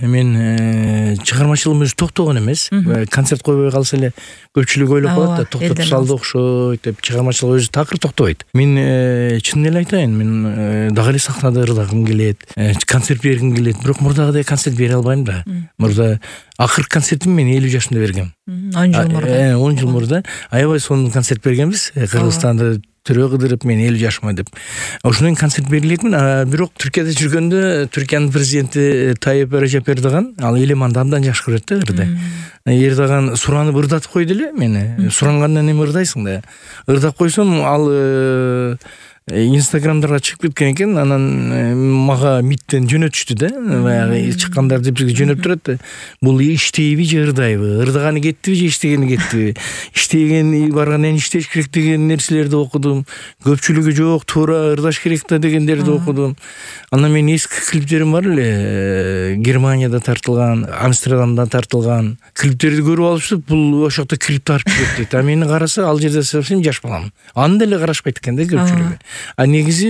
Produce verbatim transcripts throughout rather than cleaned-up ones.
мен чыгармачылыгым өзү токтогон эмес. Концерт койбой калса эле көпчүлүк ойлоп калат да, токтоп салды окшойт деп, чыгармачылык өзү такыр токтобойт. Мен чын эле айтайын, мен дагы эле сахнада ырдагым келет, концерт бергим келет, бирок мурдагыдай концерт бере албайм да. Мурда акыркы концертимди мен элүү жашымда бергем. он жыл мурда. он жыл мурда аябай сонун концерт бергенбиз. Кыргызстанда төрө кыдырып мен элүү жашыма деп. Ошондон концерт бере элекмин, бирок Түркияда жүргөндө Түркиянын президенти Тайып Режеп Эрдоган ал Элеманды абдан жакшы көрөт да, ырды. Эрдоган суранып ырдатып койду эле мени. Сурангандан эми ырдайсың да. Ырдап койсом ал Инстаграмдарга чыгып кеткен экен, анан мага миттен жөнөтүштү да, баягы чыккандарды бизге жөнөп турат да. Бул иштейби же ырдайбы, ырдаганы кеттиби же иштегени кеттиби, иштеген барган эне иштеш керек деген нерселерди окудум, көпчүлүгү жок, туура ырдаш керек да дегендерди окудум. Анан мен эски клиптерим бар эле, Германияда тартылган, Амстердамда тартылган клиптерди көрүп алышып, бул ошол жакта клип тартып кетти дейт. А мени караса, ал жерде совсем жаш балам. Аны деле карашпайт экен да көпчүлүгү. А негизи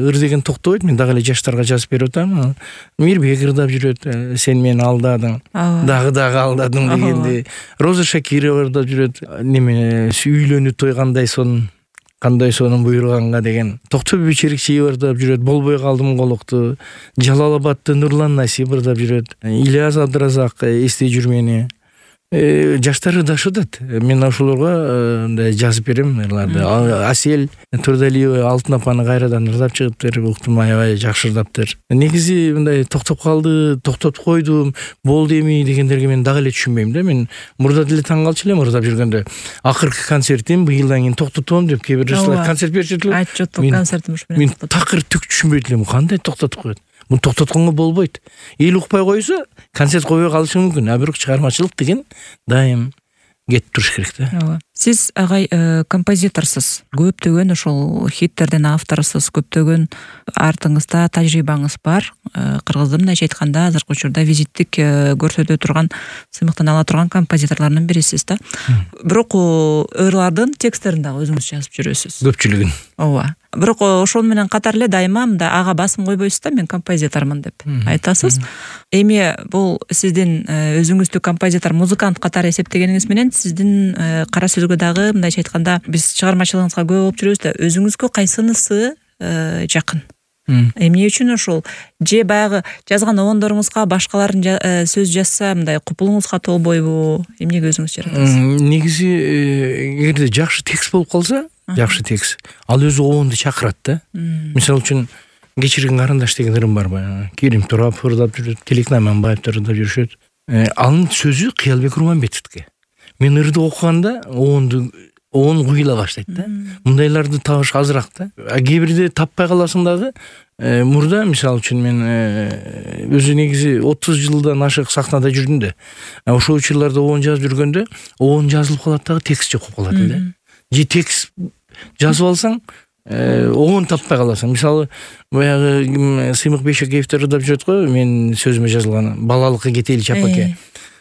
ыр деген токтобойт. Мен дагы эле жаштарга жазып берип атам. Мирбек ырдап жүрөт, сен мени алдадың, дагы дагы алдадың дегенди. Роза Шакирова ырдап жүрөт, неме үйлөнүү той кандай сонун, кандай сонун буйруганга деген. Токтогул Черикчиев ырдап жүрөт, болбой калдым колокту. Жалалабадты Нурлан Насип ырдап жүрөт. Ильяс Абдыразак эстей жүр мени. Жаштар ырдашып атат. Мен ошолорго жазып берем ырларды. Асел Турдалиева Алтын апаны кайрадан ырдап чыгыптыр, уктум, аябай жакшы ырдаптыр. Негизи мындай токтоп калды, токтоп койдум, болду эми дегендерге мен дагы эле түшүнбөйм да. Мен мурда деле таң калчу элем ырдап жүргөндө. Акыркы концертим быйылдан кийин токтотом деп кээ бир жаштар концерт беришет эле. Айтчу, концертим ушу менен. Мен такыр түк түшүнбөйт элем, кандай токтотуп коет. Муну токтотконго болбойт. Эл укпай койсо, концерт койбой калышы мүмкүн. А бирок чыгармачылык деген дайым кетип туруш керек да. Ооба. Сиз агай композиторсуз. Көптөгөн ошол хиттердин авторусуз, көптөгөн артыңызда тажрыйбаңыз бар. Кыргыздын мындайча айтканда азыркы учурда визиттик көрсөтө турган, сыймыктан ала турган композиторлордун бирисиз да. Бирок ырлардын тексттерин дагы өзүңүз жазып жүрөсүз. Көпчүлүгүн. Ооба. Бирок ошол менен катар эле дайыма мындай ага басым койбойсуз да, мен композитормун деп айтасыз. Эми бул сиздин өзүңүздү композитор, музыкант катары эсептегениңиз менен сиздин кара сөзгө дагы мындайча айтканда биз чыгармачылыгыңызга күбө болуп жүрөбүз да, өзүңүзгө кайсынысы жакын? Эмне үчүн ошол? Же баягы жазган обондоруңузга башкалардын сөз жазса мындай купулуңузга толбойбу? Эмнеге өзүңүз жаратасыз? Негизи эгерде жакшы текст болуп калса, жакшы текст, ал өзү обонду чакырат да. Мисалы үчүн Кечирген карандаш деген ырым бар баягы. Керим Турап ырдап жүрөт, Келек Наманбаевдер ырдап жүрүшөт. Анын сөзү Кыялбек Курманбетовдики. Мен ырды окуганда обонду обон куйула баштайт да. Мындайларды табыш азыраак да. А кээ бирде таппай каласың дагы. Мурда мисалы үчүн мен өзү негизи отуз жылдан ашык сахнада жүрдүм да. Ошол учурларда обон жазып жүргөндө обон жазылып калат дагы, текст жок болуп калат эле. Же текст жазып алсаң, обон таппай каласың. Мисалы, баягы Сыймык Бейшекеевдер ырдап жүрөт го, мен сөзүмө жазылган балалыкка кетели чапаке.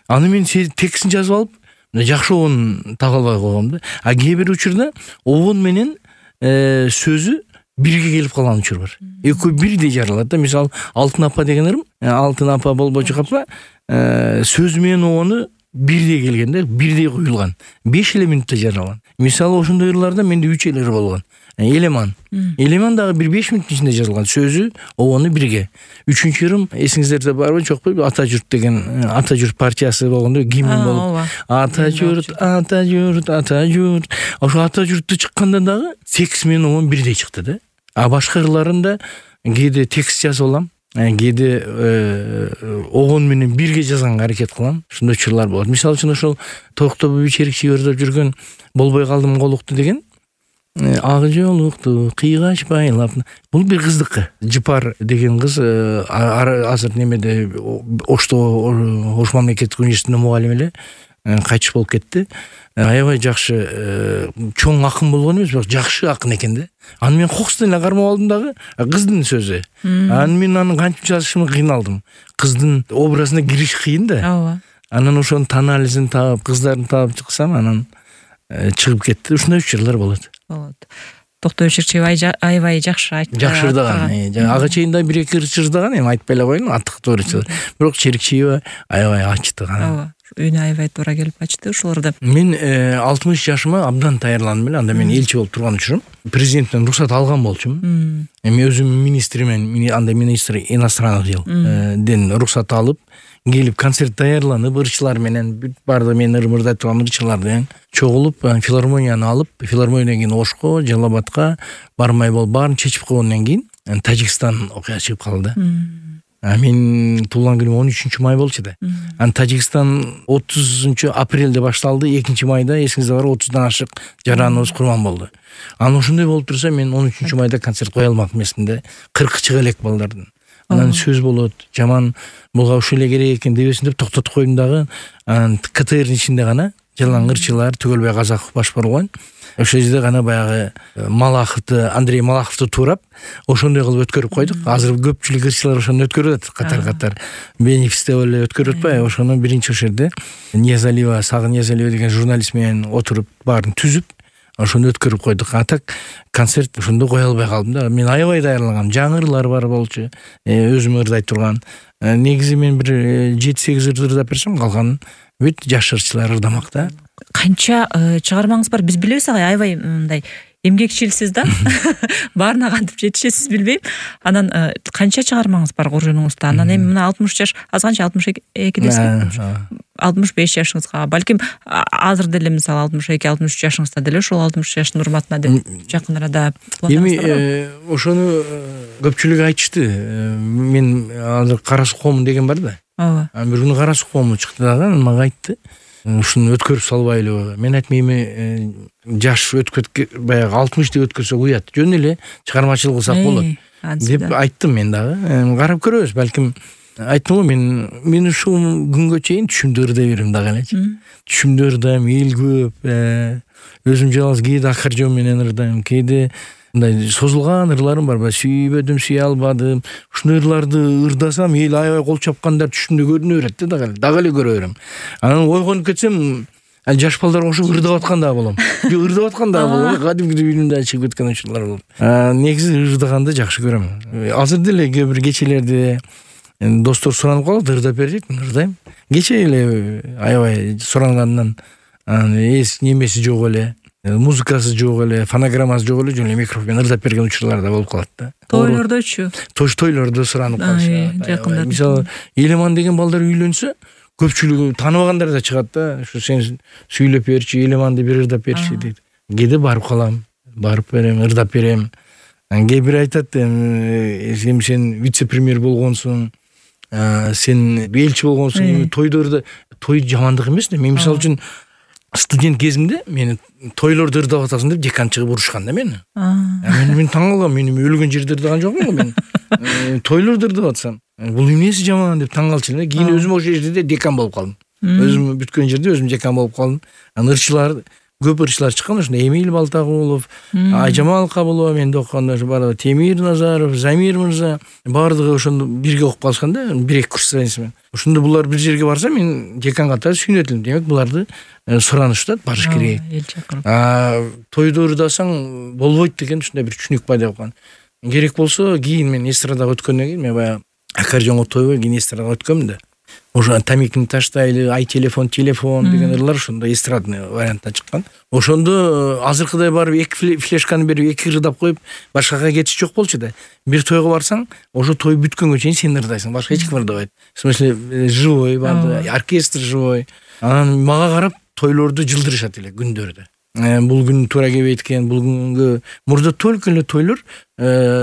Аны мен текстин жазып алып, жакшы обон таба албай койгом да. А кээ бир учурда обон менен сөзү бирге келип калган учур бар. Экөө бирдей жаралат да. Мисалы, Алтын апа деген ырым, Алтын апа болбочу апа, сөзү менен обону бирдей келген да, бирдей куюлган. беш эле мүнөттө жаралган. Мисалы, ошондой ырларда менде үч эле ыр болгон. Элеман. Элеман дагы бир беш мүнөттүн ичинде жазылган. Сөзү, обону бирге. Үчүнчү ырым эсиңиздерде барбы, жокпу? Ата журт деген, Ата журт партиясы болгондо гимн болуп. Ата журт, ата журт, ата журт. Ошо ата журтту чыкканда дагы текст менен обон бирдей чыкты да. А башка ырларында кээде текст жазып алам, кээде обон менен бирге жазганга аракет кылам. Ушундай учурлар болот. Мисалы үчүн ошол Токтобу Черикчиев ырдап жүргөн болбой калдым колукту деген ак жолукту кыйгач байлап. Бул бир кыздыкы. Жыпар деген кыз азыр немеде Ошто Ош мамлекеттик университетинин мугалими эле, кайтыш болуп кетти. Аябай жакшы чоң акын болгон эмес, бирок жакшы акын экен да. Аны мен кокустан эле кармап алдым дагы, кыздын сөзү. Аны мен аны кантип жазышымды кыйналдым. Кыздын образына кириш кыйын да. Ооба. Анан ошонун анализин таап, кыздарын таап чыксам, анан чыгып кетти. Ушундай учурлар болот. Болот. Токтогул Шерчиев аябай жакшы айтты. Жакшы ырдаган. Ага чейин да бир эки ырчы ырдаган, эми айтпай эле коеюн, аттыктуу ырчы. Бирок Шерчиев аябай ачты гана. Ооба. Үйүнө аябай туура келип ачты ушуларды. Мен алтымыш жашыма абдан даярдым эле. Анда мен элчи болуп турган учурум. Президенттен уруксат алган болчумун. Эми өзүм министрмен, анда министр иностранных дел ден уруксат алып, келип концерт даярланып, ырчылар менен бүт баардыгы мен ырым ырдайт турган ырчыларды чогулуп, филармонияны алып, филармониядан кийин Ошко, Жалал Абадка бармай болуп, баарын чечип койгондон кийин Тажикстан окуя чыгып калды. А мен туулган күнүм он үчүнчү май болчу да. Ан Тажикстан отузунчу апрелде башталды, экинчи майда эсиңизде бар отуздан ашык жараныбыз курман болду. Анан ошондой болуп турса, мен он үчүнчү майда концерт кое алмак эмесмин. кыркы чыга элек балдардын. Анан сөз болот, жаман буга ушул эле керек экен дебесин деп токтотуп койдум дагы. Анан КТРдин ичинде гана жалаң ырчылар Түгөлбай Казаков баш барган. Ошол жерде гана баягы Малаховду, Андрей Малаховду туурап, ошондой кылып өткөрүп койдук. Азыр көпчүлүк ырчылар ошону өткөрүп атат, катар-катар. Бенефисте эле өткөрүп атпайбы? Ошону биринчи ошол жерде Ниязалиева, Сагын Ниязалиева деген журналист менен отуруп, баарын түзүп, ошону өткөрүп койдук. А так концерт ошондо кое албай калдым да. Мен аябай даярлагам. Жаңы ырлар бар болчу. Өзүм ырдайт турган. Негизи мен бир жети сегиз ыр ырдап берсем, калганын бүт жаш ырчылар ырдамак да. Канча чыгармаңыз бар, биз билебиз, аябай мындай эмгекчилсиз да. Баарына кантип жетишесиз билбейм. Анан канча чыгармаңыз бар куржунуңузда? Анан эми мына алтымыш жаш, азганча алтымыш экидесиз. алтымыш беш жашыңызга, балким азыр деле мисалы алтымыш эки алтымыш үч жашыңызда деле ошол алтымыш жаштын урматына деп жакын арада планыңыздар бар. Эми ошону көпчүлүк айтышты. Мен азыр Кара Суу коомун деген бар да. Ооба. Бир күнү Кара Суу коому чыкты дагы, мага айтты. Ушуну өткөрүп салбайлыбы? Мен айттым, эми жаш өткөт баягы алтымышты өткөрсөк уят. Жөн эле чыгармачылык кылсак болот деп айттым мен дагы. Карап көрөбүз, балким. Айттым го, мен мен ушул күнгө чейин түшүмдө ырдай берем дагы элечи. Түшүмдө ырдайм, эл көп. Өзүм жалгыз кээде аккордеон менен ырдайм, кээде мындай созулган ырларым бар. Сүйбөдүм, сүйө албадым. Ушундой ырларды ырдасам, эл аябай кол чапкандар түшүмдө көрүнө берет да, дагы дагы эле көрө берем. Анан ойгонуп кетсем, жаш балдар ошо ырдап аткан дагы болом. Жок, ырдап аткан дагы болом. Кадимгидей үйүнүмдөн чыгып кеткен учурлар болот. Негизи ырдаганды жакшы көрөм. Азыр деле кээ бир кечелерде достор суранып калат, ырдап бер дейт, ырдайм. Кече эле аябай сурангандан эс немеси жок эле, музыкасы жок эле, фонограммасы жок эле, жөн эле микрофон ырдап берген учурлар да болуп калат да. Тойлордочу? Тойлордо суранып калышат. Жакында. Мисалы, Элеман деген балдар үйлөнсө, көпчүлүгү тааныбагандар да чыгат да. Ушу сен сүйлөп берчи, Элеманды бир ырдап берчи дейт. Кээде барып калам, барып берем, ырдап берем. Кээ бир айтат, эми сен вице-премьер болгонсуң, сен элчи болгонсуң, тойдордо той жамандык эмес да. Мен мисалы үчүн студент кезимде мени тойлордо ырдап атасың деп декан чыгып урушкан да мени. Мен мен таң калгам, мен өлгөн жерде ырдаган жокмун го мен. Тойлордо ырдап атсам, бул эмнеси жаман деп таң калчу эле. Кийин өзүм ошол жерде декан болуп калдым. Өзүм бүткөн жерде өзүм декан болуп калдым. Анан ырчылар көп ырчылар чыккан, ошондой Эмиль Балтагулов, Айжамал Кабылова менде окуганда бар, Темир Назаров, Замир мырза, баардыгы ошондо бирге окуп калышкан да, бир эки курс сайынсымен. Ошондо булар бир жерге барса, мен декан катары сүйүнөт элем. Демек, буларды суранышат, барыш керек. Тойдо ырдасаң болбойт деген ушундай бир түшүнүк пайда болгон. Керек болсо, кийин мен эстрадага өткөндөн кийин, мен баягы аккордеонго тойбой кийин эстрадага өткөм да. Ошо тамекини таштайлы, ай телефон, телефон деген ырлар ошондо эстрадный вариантта чыккан. Ошондо азыркыдай барып эки флешканы берип эки ырдап коюп башкага кетиш жок болчу да. Бир тойго барсаң, ошо той бүткөнгө чейин сен ырдайсың, башка эч ким ырдабайт. В смысле, живой бар, оркестр живой. Анан мага карап тойлорду жылдырышат эле күндөрдө. Бул күн туура келбейт экен, бул күнгө мурда только эле тойлор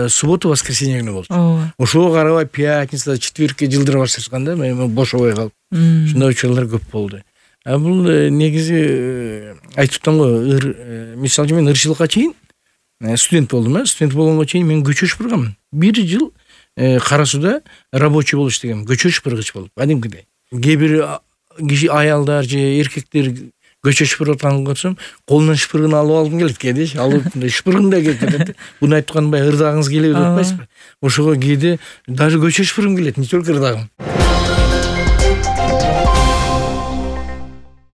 суббота, воскресенье күнү болчу. Ошого карабай пятница, четвертке жылдыра башташкан да, мен бошобой калып. Ушундай учурлар көп болду. А бул негизи айтып атам го, мисалы үчүн мен ырчылыкка чейин студент болдум, э, студент болгонго чейин мен көчө шыпырганмын. Бир жыл Кара Сууда рабочий болуп иштегем, көчө шыпыргыч болуп, кадимкидей. Кээ бир киши аялдар же эркектер көчө шыпырып атканын көрсөм, колунан шыпыргын алып алгым келет кээде, алып шыпыргым да келип кетет. Буну айтып аткан баягы ырдагыңыз келеби деп атпайсызбы? Ошого кээде даже көчө шыпыргым келет, не только ырдагым.